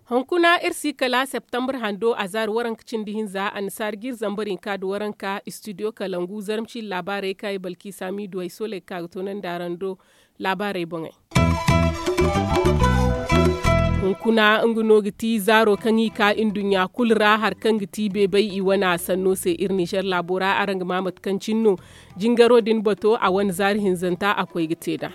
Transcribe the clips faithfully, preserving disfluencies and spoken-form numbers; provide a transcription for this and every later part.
Hunkuna iri si kala septembre hando a zaari waranka cindi hinza annasaari ga iri zambar hinka nda waranka studio kalangu zarma ciiri laabaarey kaŋ ay balki saami du ay sooley ga ka ga toonandi araŋ do. Laabaarey boŋey. Hunkuna nga no ga ti zaaro kaŋ i ka nduɲɲa kulu ra hari kaŋ ga ti beebay i wane a sanno se iri nizer laabo ra araŋ ga ma mate kaŋ cine no. Jingaro din bato a wane zaari hinzanta a koy ga te nd'a.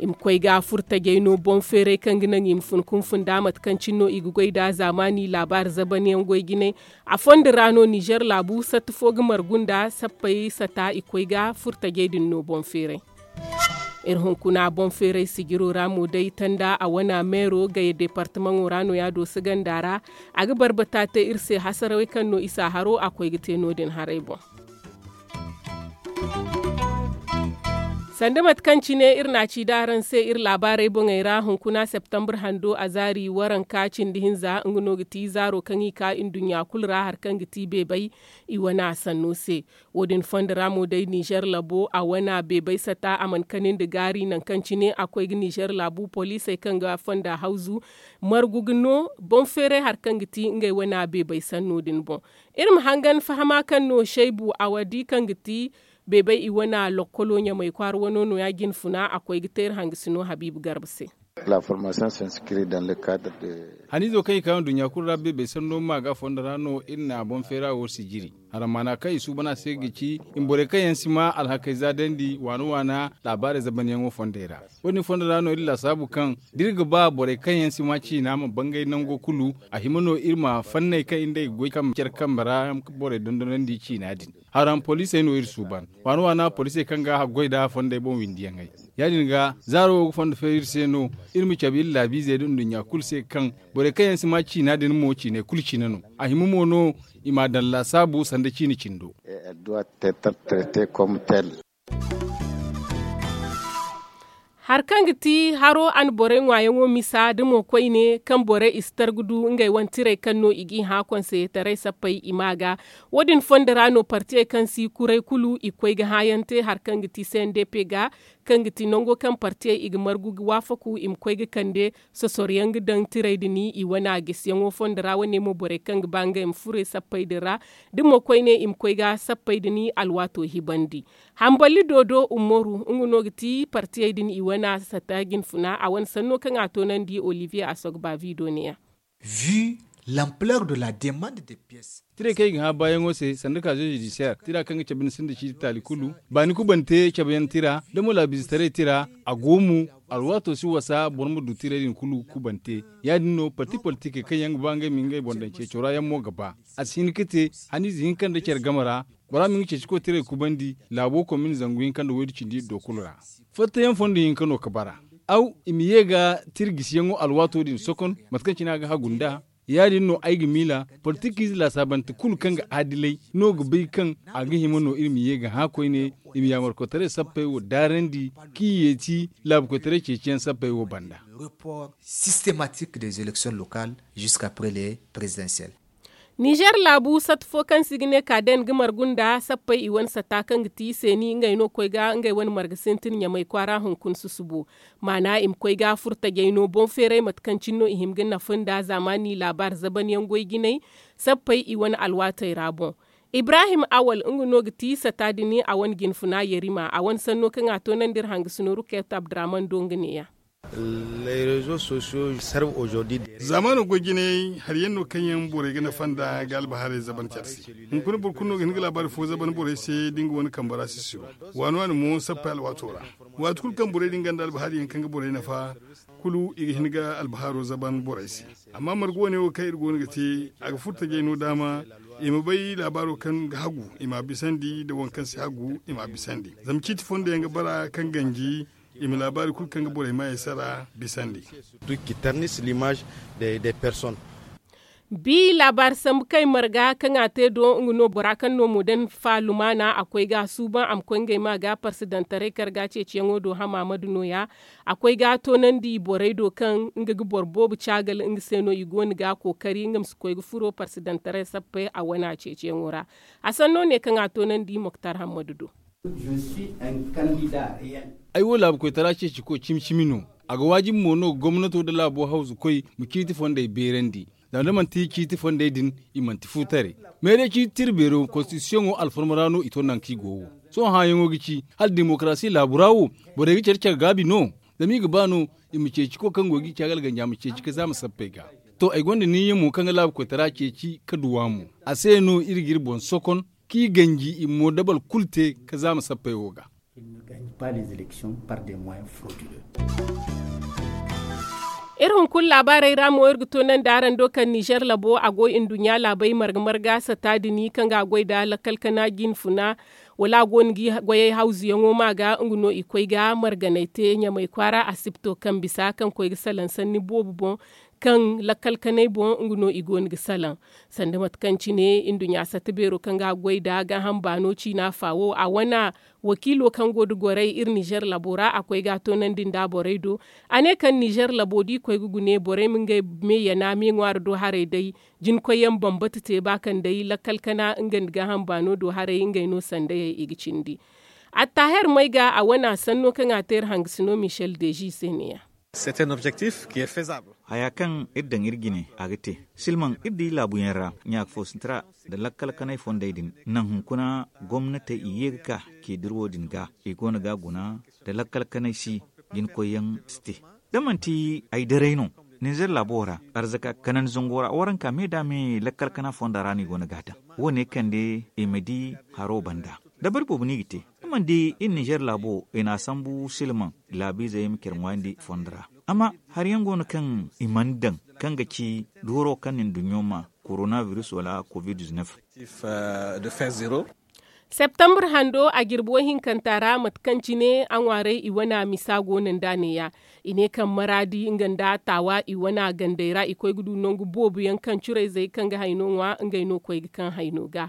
I ma koy ga furtajey no boŋ feeray kaŋ ga naŋ i ma fun kunfun nd'a mate kaŋ cine no i ga goy nd'a zaamaani laabaari zabanyaŋ goy jinay. A fondo ra no nizer laabu satta fo ga margu nda sappey sata i koy ga furtajey din no boŋ feeray. Iri hunkuna boŋ feeray sijiro ra mo day tanda a wana meero gaya departamaŋo ra no ya dooso ganda ra. A ga barbata te iri se hasarawey kaŋ no isa haro a koy ga te no- din haray boŋ. Sanda mate kaŋ cine iri n'a ci da araŋ se iri laabaarey boŋey ra hunkuna septembre hando a zaari waranka cindi hinza nga no ga ti zaaro kaŋ i ka nduɲɲa kulu ra hari kaŋ ga ti beebay i wane a sanno se. Wo- din fondo ra mo day nizer labo a wana beebay sata a mana kani nda gaari nangu kaŋ cine a koy ga nizer laabu poliisey kaŋ ga fonda hawzu margu ga no boŋ feeray hari kaŋ ga ti ngey wana beebay sanno din boŋ. Iri ma hangan fahama kaŋ no shaybu a wadi kaŋ ga ti beebay i wana lokkolo ɲamay kwaara wano no- ya jine funa a koy ga te iri hangasino habiibu garba se. Haniizo kaŋ i ka nduɲɲa kulu ra beebay sanno ma ga fondo ra no iri na boŋ feera wo sijiri. Harammaana kaŋ i suuban a se ga ci i ma borey kaŋ yaŋ si ma alhakey zaadandi waana waana laabaarey zabanyaŋo fondey ra. Wo- din fondo ra no iri laasaabu kaŋ da iri ga ba borey kaŋ yaŋ si ma ciina ma bangay nango kulu a hima no iri ma fanney kaŋ iri nd'ey ga goy kaŋ care kambe ra borey dondonandi ciina din. Haram poliisey no iri suuban waana waana poliisey kaŋ ga a goy nd'a fondey boŋ windiyaŋey. Ya- din ga zaaro wo ga fondo feeri iri se no iri ma cabe iri laabiizey nda nduɲɲa kulu se kaŋ borey kaŋ yaŋ si ma ciina din mo ciiney kulu cine no. A hima mo no i m'a daŋ laasaabu sanda ciine cindo. Hari kaŋ ga ti haro a na borey ŋwaayaŋo misa da mo koyne kaŋ borey i si targu du ngey wane tirey kaŋ no i g'i hã konseyetarey sappey i ma ga. Wo- din fondo ra no partiyey kaŋ si kuray kulu i koy ga hãayaŋ te hari kaŋ ga ti cndp ga kaŋ ga ti nango kaŋ partiyey i ga margu ga waafaku i ma koy ga kande sosoroyaŋ ga daŋ tirey din i wane a gisiyaŋo fondo ra wane mo borey kaŋ ga ba ngey ma furo i sappey din ra. Da mo koyne i ma koy ga sappey din alwaato hibandi. Hamballi doodo umaru nga no ga ti partiyey din i wane a sata jinfuna a wane sanno kaŋ a toonandi olivier a sogba vido ne- ya. Vu l'ampleur de la demande des pièces. Tirey kaŋ i ga hã baayaŋo se sanda kaazo judisiyar tira kaŋ ga cabe ni sinda ciiti taali kulu baani kubante cabeyaŋ tira da mo laabiizetaray tira a go mo. Alwaato si wasa boro ma du tirey din kulu kubante. Ya- din no parti politikey kaŋ yaŋ ga ba ngey ma ngey boŋ daŋ ceeco ra yaŋ mo ga ba a si hin ga te haniize hinka nda care game ra. Bora ma nga ceeci koy tirey kubandi laabo komin zangu hinka nda waydu cindi iddo kulu ra. Fattayaŋ fondo hinka no ga bara aw i ma ye ga tira gisiyaŋo alwaato din sokon mate kaŋ cine a ga hagu nd'a. Ya- din no ay ga miila politikiize laasaabante kulu kaŋ ga adilay no ga bay kaŋ a ga hima no iri ma ye ga hã koyne i ma yaamarkoytaray sappey wo daarandi kaŋ i yeeti laabukoytaray ceeciyaŋ sappey wo banda. Report systématique des élections locales jusqu'après les présidentielles. Nizer laabu satta fo kaŋ se i ga ne kaaden ga margu nda sappey i wane satta kaŋ ga ti seeni ngey no koy ga ngey wane marga sintin ɲamay kwaara hunkuna susubo. Maana i ma koy ga furtajey no boŋ feeray mate kaŋ cine no i hima ga nafa nda zaamaani laabaari zabanyaŋ goy jinay sappey i wane alwaatey ra boŋ. Ibrahim awal nga no ga ti satta din a wane jinfuna yarima a wane sanno kaŋ a toonandi iri hangasino ruket abdurahman do nga ne- ya. Zaamaano goy jinay hari yaŋ no kaŋ yaŋ borey ga nafa nda ga albahaarey zaban care se. Hunkuna boro kulu no ga hin ga laabaari fo zaban borey se da nga wane kambe ra sisiro. Waani waani mo sappey alwaato ra waati kulu kaŋ borey din gonda albahaari yaŋ kaŋ ga borey nafa kulu i ga hin ga albahaaro zaban borey se. Amma margu wane wo kaŋ iri go no ga te a ga furo tajay no daama i ma bay laabaaro kaŋ ga hagu i m'a bisandi nda waŋ kaŋ si hagu i m'a bisandi zama ciiti fondo yaŋ ga bara kaŋ ganji i ma laabaari kulu kaŋ ga borey maayey sara bisandi. Qui ternissent l'image des personnes. Bi laabaari sambu kay marga kaŋ a te do nga no bora kaŋ no mo daŋ fa lumaana a koy ga a suuban a ma koy ngey ma ga parsidantaray karga ceeciyaŋo do hamaamadu no- ya. A koy ga a toonandi borey do kaŋ nga ga boro boobo caagal nga se no i go no ga a kookari nga ma si koy ga furo parsidantaray sappey a wane a ceeciyaŋo ra. A sanno ne kaŋ a toonandi moktar hammadu do. Ay wo laabu koytara ceeciko cimi cimi no. A ga waajibi mo no gomnato nda laabo hawzukoy ma ciiti fondey beerandi. Zama da manti ciiti fondey din, i manti fu taray. Meeray ciiti tira beero konstitisiyoŋo alfarma ra no i to nangu kaŋ i go wo. Sohõ hããyaŋo ga ci hala dimokarasi laabu ra wo, borey ga care care gaabi no? Zama i ga ba no i ma ceeci ko kaŋ go ga i caagal ganja ma ceeci ka zaama sappey ga. To ay gonda niiya mo kaŋ ga laabu koytara ceeci ka duw'a mo. A se no iri ga iri boŋ sokon, kaŋ i ganji i ma moodabal kulu te ka zaama sappey wo ga. Iri hunkuna laabaarey ra mo iri ga toonandi araŋ do kaŋ nizer labo a go nduɲɲa laabey marga marga sata din kaŋ ga a goy nda lakkal kana jinfuna, wala a go no ga i goyey hawzuyaŋo ma ga nga no i koy ga marganey te ɲamey kwaara asibto kaŋ bisa kaŋ koy ga salaŋ sanni boobo boŋ, kaŋ lakkal kanay boŋ nga no i go no ga salaŋ. Sanda mate kaŋ cine nduɲɲa satta beero kaŋ ga a goy nda gaaham baano ciina fa wo a wane wakiilo kaŋ go nda gorey iri nizer labo ra a koy ga a toonandi nda borey do. A ne kaŋ nizer labo da i koy ga gune borey ma ngey me yana me ŋwaari do haray day, jinkoy yaŋ bambata te ba kaŋ day lakkal kana nga nda gaaham baano do haray ngey no sandayey i ga cindi. Attaher may ga a wane a sanno kaŋ a te iri hangasino michel deji se ne- ya. Haya kaŋ iri daŋ iri jine a ga te. Silmaŋ iri di laabuyaŋ ra ɲaaka fo sinti ra nda lakkal kanay fondey din naŋ hunkuna gomnatey i ye ga ka k'i dira wo- din ga i go no ga a guna. Nda lakkal kanay si jinkoy yaŋ si te da manti ay daray no ninzer laabo ra arzaka kanandi zango ra waranka me da me lakkal kana fonda ra no i go no ga a daŋ. Wo- ne kande i ma di haro banda dabari boobo no i ga te. Ni mana di iri ninzer laabo i n'a sambu silmaŋ laabiizey ma care ŋwaayandi fondo ra. Amma hari yaŋ go no kaŋ i mana daŋ kaŋ ga ci dooro kaŋ na nduɲɲo ma korona biris wala covid-19. Septembre hando a jirbi woy hinkanta ra mate kaŋ cine a ŋwaaray i wane a misa go no nd'a ne- ya. I ne kaŋ maraadi nga nda taawa i wane a gandey ra i koy ga du nangu boobo yaŋ kaŋ curayzey kaŋ ga hayno ŋwa ngey no koy ga kaŋ hayno ga.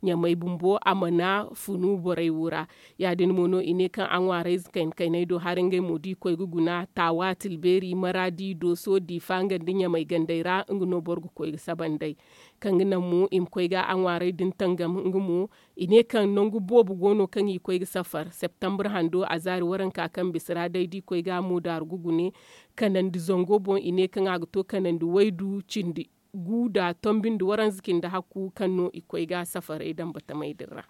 Ɲamey bumbo a mana funu borey wo ra. Ya- din mo no i ne kaŋ a ŋwaarayze kayna kaynay do hari ngey mo da i koy ga guna taawa tilbeeri maraadi dooso diifa nga nda ɲamey gandey ra nga no boro ga koy ga saba nd'ey. Kaŋ ga naŋ mo i ma koy ga a ŋwaaray din tangam nga mo. I ne kaŋ nangu boobo go no kaŋ i koy ga safar septembre hando a zaari waranka kaŋ bisa ra day da i koy ga a mo daaru ga gune. Kanandi zango boŋ i ne kaŋ a ga to kanandi waydu cindi gu nda tombi nda waranza cindi hakku kaŋ no i koy ga safaray daŋ batamey din ra.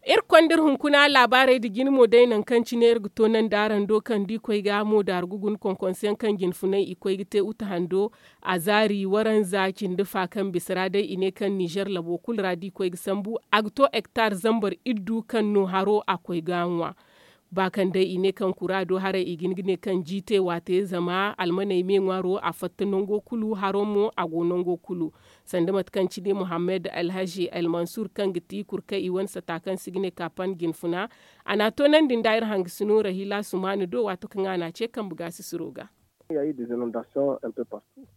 Iri konda iri hunkuna laabaarey nda jine mo day nangu kaŋ cine iri ga toonandi araŋ do kaŋ da i koy ga mo daaru ga guna konkonse yaŋ kaŋ jinfunay i koy ga te uta hando. A zaari waranza cindi fa kaŋ bisa ra day i ne kaŋ nizer labo kulu ra da i koy ga sambu a ga to hektar zambar iddu kaŋ no haro a koy ga a ŋwa. Ba kaŋ day i ne kaŋ kura do haray i ga hin ga ne kaŋ jiite waate zama almaney me ŋwaaro a fatta nango kulu haro mo a go nango kulu. Sanda mate kaŋ cine muhammad alhazi almansur kaŋ ga ti kurkay i wane sata kaŋ se i ga ne kapan jinfuna. A n'a toonandi nda iri hangasino rahila sumaana do waato kaŋ a n'a ce kambe gaasisiro ga.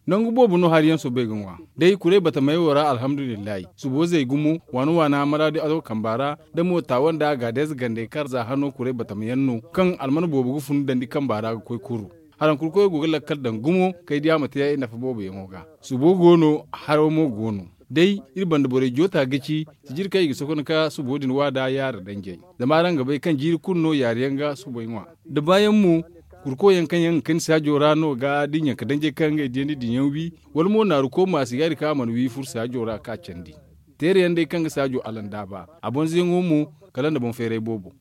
Nangu boobo no hari yaŋ soobay ga ŋwa day kuray batamey wo ra alhamdulillahi subo zay gumo waana waana maraadi azo kamba ra. Da mo taawa nda a gaadayze gandey kaŋ ra za hano kuray batama yaŋ no kaŋ alman boobo ga fun dandi kamba ra ga koy kuru. Haraŋ kulu koyo go ga lakkal daŋ gumo kay diya ma te nafa boobo yaŋo ga. Subo go no haro mo go no. Day iri banda borey joota ga ci sijiri kaŋ i ga sokon ka subo din waada yaara danjey. Zama araŋ ga bay kaŋ jiiri kulu no yaari yaŋ ga subey ŋwa. Da baayaŋ mo kurko yaŋ kaŋ yaŋ ga kani saajo ra no ga da i ɲanka danjey kaŋ ngey diyandi din yaŋ wi wala mo naaru ko maasi yaari kaŋ a mana wi furo saajo ra ka candi. Teere yaŋ day kaŋ ga saajo alandaaba a bonzoyaŋo mo kala nda boŋ feeray boobo.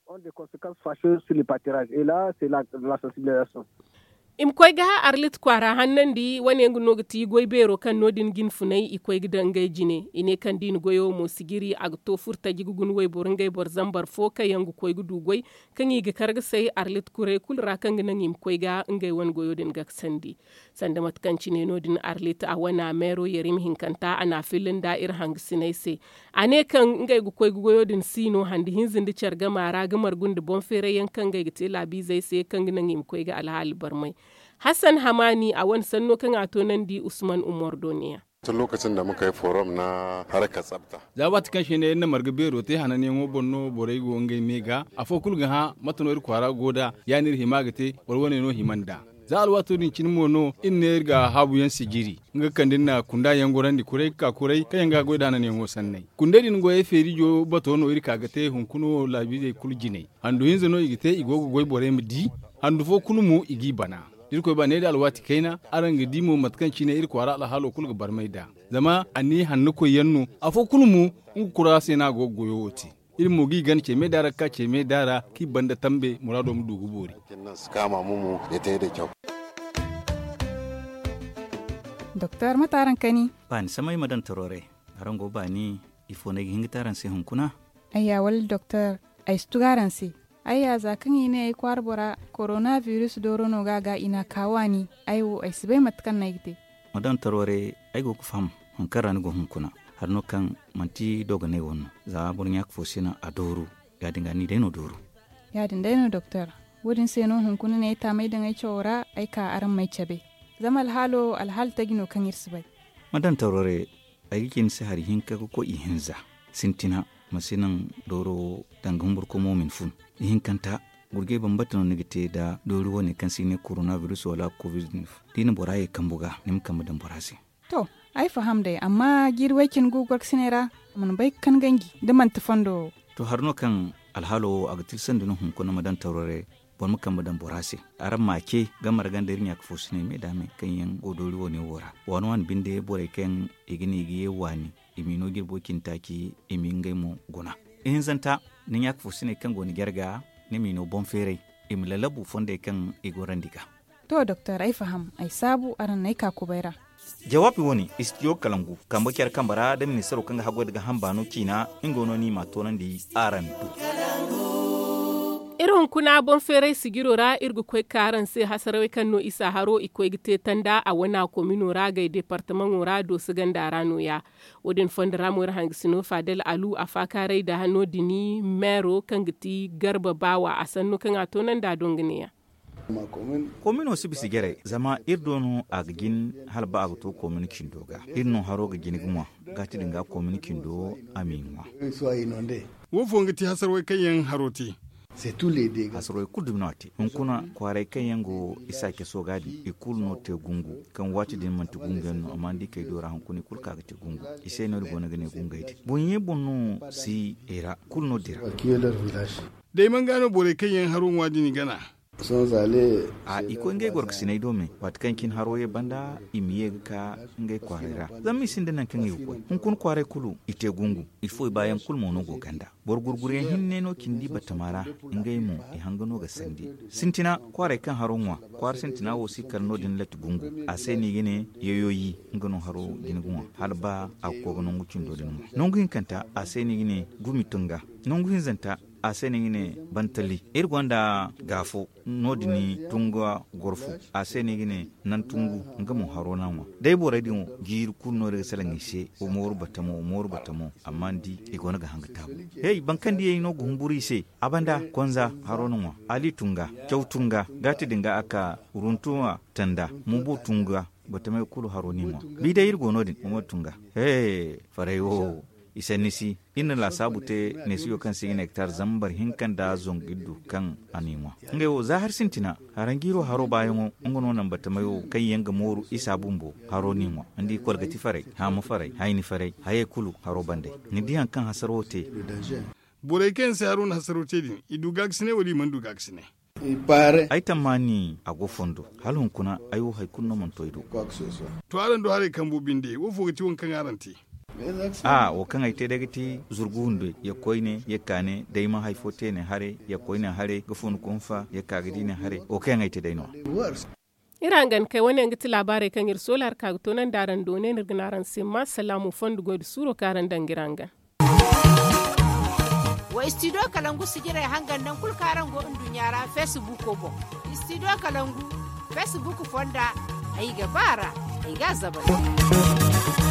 I ma koy ga arlit kwaara hannandi wane nga no ga ti goy beero kaŋ no- din jinfunay i koy ga daŋ ngey jine i ne kaŋ da i na goyo mo sijiri a ga to furtaji ga guna wayboro ngey boro zambar fo kaŋ yaŋ ga koy ga du goy kaŋ i ga kar ga say arlit kuray kulu ra kaŋ ga naŋ i ma koy ga ngey wane goyo din ga sandi. Sanda mate kaŋ cine no- din arlit a wane a meero yerim hinkanta a n'a filla nda iri hangasiney se. A ne kaŋ ngey ga koy ga goyo din si no hande hinza nda care gama ra ga margu nda boŋ feeray yaŋ kaŋ ngey ga te laabiizey se kaŋ ga naŋ i ma koy ga alhaali barmay. Hassan hamaani a wane sanno kaŋ a toonandi usman umar do ne- ya. Tun lokacin da muka yi forum na harkar tsafta. Za waati kaŋ se ne iri na marga beero te hananyaŋo boŋ no borey go ngey me ga afo kulu ga hã mate no iri kwaara go nd'a ya no iri hima ga te boro wane no hima nd'a. Za alwaato din cine mo no iri ne iri ga haabu yaŋ sijiri nga ga kande iri na kunda yaŋ gorandi kuray ga ka kuray kaŋ yaŋ ga goy nda hananyaŋo sanney kundey din goyey feerijo bato no iri ka ga te hunkuna wo laabiizey kulu jinay handu hinza no i ga te i go ga goy borey ma di. Handu fo kulu mo i g'i bana. Da irkoy ba ne da alwaati kayna araŋ ga di mo mate kaŋ cine iri kwaara alhaalo kulu ga barmay nd'a. Zama anniya hanno koyyaŋ no afo kulu mo nga kura se no a go ga goyo wo te. Iri mo g'i gana ce me daara ga ka ce me daara kaŋ i banda tambe muraado ma du ga boori. Doktor mate araŋ kani? Baani samay ma daŋ taro ray. Araŋ go baani? Ifo no ay ga hin ga te araŋ se hunkuna? Ayya wala doktor, ay si tugu araŋ se. Ayya za kaŋ i ne ay kwaara bora korona biris dooro no ga a ga i n'a ka waani. Ay wo ay si bay mate kaŋ no ay ga te. Ma daŋ taro ray. Ay go ga faham hari kaŋ ra ni go hunkuna. Hari no kaŋ manti dogonay wane no. Za boro ɲaaka fo si naŋ a dooru. Ya- din ga ni day no dooru. Ya- din day no doktor. Wo- din se no hunkuna ne ay taamay daŋ ay cawo ra ay ka araŋ m'ay cabe. Zama alhaalo alhaala taji no kaŋ iri si bay. Ma daŋ taro ray. Ay ga ci ni se hari hinka ga koy ihinza. Sintina ma si naŋ dooro wo danga humburkomo ma ni fun. Ihinkanta gurjay bambata no ni ga te nda doori wane kaŋ se i ne korona biris wala kovid. Da i na bora ye kambu ga ni ma kambe daŋ bora se. To, ay faham day amma jiiri way- cine gu gorkasiney ra a mana bay ga kan ganji da manti fondo wo. To hari no kaŋ alhaalo wo a ga tilsandi no hunkuna ma daŋ taro ray. Boro ma kambe daŋ bora se. Araŋ m'a ce ga marga nda iri ɲaaka fo sinay me da me kaŋ yaŋ go doori wane wo ra waani waani binde borey kaŋ i ga ne i ga ye waani. I m'i no jirbo cine taaci i m'i ngey mo guna. Ihinzanta ni ɲaaka fo sinay kaŋ go ni jarga ni m'i no boŋ feeray i ma lalabu fondey kaŋ i gorandi ga. To doktor ay faham ay saabu araŋ n'ay ka kubay ra. Jawaabi wane istiyo kalangu kambe care kambe ra da ministaro kaŋ ga haggoy nda ga hamba no ciina. Nga no no i m'a toonandi araŋ do. Iri hunkuna boŋ feeray sijiro ra iri ga koy ga ka araŋ se hasarawey kaŋ no isa haro i koy ga te tanda a wana komino ra gay departamaŋo ra dooso ganda ra nooya. Wo- din fondo ra mo iri hangasino fadel alu a faakaaray nda no- din meero kaŋ ga ti garba baawa a sanno kaŋ a toonandi a do nga neeya. Komino si bisa jaray zama iri do no a ga jin hala ba a ga to komino cindo ga iri no haro ga jin ga ŋwa. Gaati din ga komino cindo a m'i ŋwa. Wo fo nga ti hasarwey kaŋ yaŋ haro te. Hasarwey kulu dumi no a te hunkuna kwaaray kaŋ yaŋ go isa caso ga din i kulu no te gungu kaŋ waati din manti gungu yaŋ no amma ni di kay do ra hunkuna i kulu ka ga te gungu. I se no iri go no ga ne gungey din boŋ ye boŋ no si i ra kulu no dira. Day man ga no borey kaŋ yaŋ haro ŋwa din i gana. A i koy ngey gorkasiney do me waati kaŋ cine haro ye banda i ma ye ga ka ngey kwaaray ra. Zama i sinda nangu kaŋ i ga koy hunkuna kwaaray kulu i te gungu. Ifo i baayaŋ kulu mo no go ganda. Boro gurguryaŋ hinne no cindi batama ra. Ngey mo i hanga no ga sandi sintina kwaaray kaŋ haro ŋwa. Kwaara sintina wo si kala no- din latti gungu a se no i ga ne yoyoyi. Nga no haro jina ga ŋwa hala ba a ga koy ga nangu cindo din ŋwa nangu hinkanta a se no i ga ne gumi tunga. Nangu hinzanta a se no i ga ne bantali. Iri gonda gaafo no- din tunga gorfu a se no i ga ne nantungu. Nga mo haro no a ŋwa day borey din wo jiiri kulu no iri ga salaŋ i se. Wa mooru batamo wa mooru batamo amma ni di i go no ga hanga taabu. Hey boro kaŋ diyey no ga humburu i se a banda konza haro no ŋwa. Ali tunga caw tunga gaati din ga a ka runtuwa tanda mumbu tunga. Batamey kulu haro no i ŋwa. Bi day iri go no- din mumbu tunga. Hey faray wo i sanni si iri na laasaabu te neesiyo kaŋ se i ga ne ga taara zambar hinka nda zangu iri du kaŋ a n'i ŋwa. Ngey wo za hari sintina haranjiiro haro baayaŋo nga no naŋ batamey wo kaŋ yaŋ ga mooru isa bumbo haro n'i ŋwa. Ni di kolgati faray haama faray hayni faray hayey kulu haro bandey. Ni di hari kaŋ hasaro te. Borey kaŋ yaŋ se haro na hasaro te din i du gaakasinay wala i mana du gaakasinay? Ay tammaani a go fondo hala hunkuna ay wo hari kulu no mana to ay do. To araŋ du haray kambo binde wo fo ga ti waŋ kaŋ araŋ te? A wo kaŋ ay te day ga ti zurgu hunday ya koyne ya kaane day ma hari fo te ne haray ya koyne haray ga fun kunfa ya ka ga di ne haray wo kaŋ yaŋ ay te day no. Iri hangan kay wane yaŋ ga ti laabaarey kaŋ iri soola hari ka ga toonandi araŋ do ne no iri ga ne araŋ se ma salaamu fondo goy nda suuro kaŋ araŋ daŋ ga iri hangan. Wa istidiyo kalangu sijirey hangan nangu kulu kaŋ araŋ go nduɲɲa ra feesibuuko boŋ. Istidiyo kalangu feesibuuko fonda ay ga ba a ra ay ga a zabari.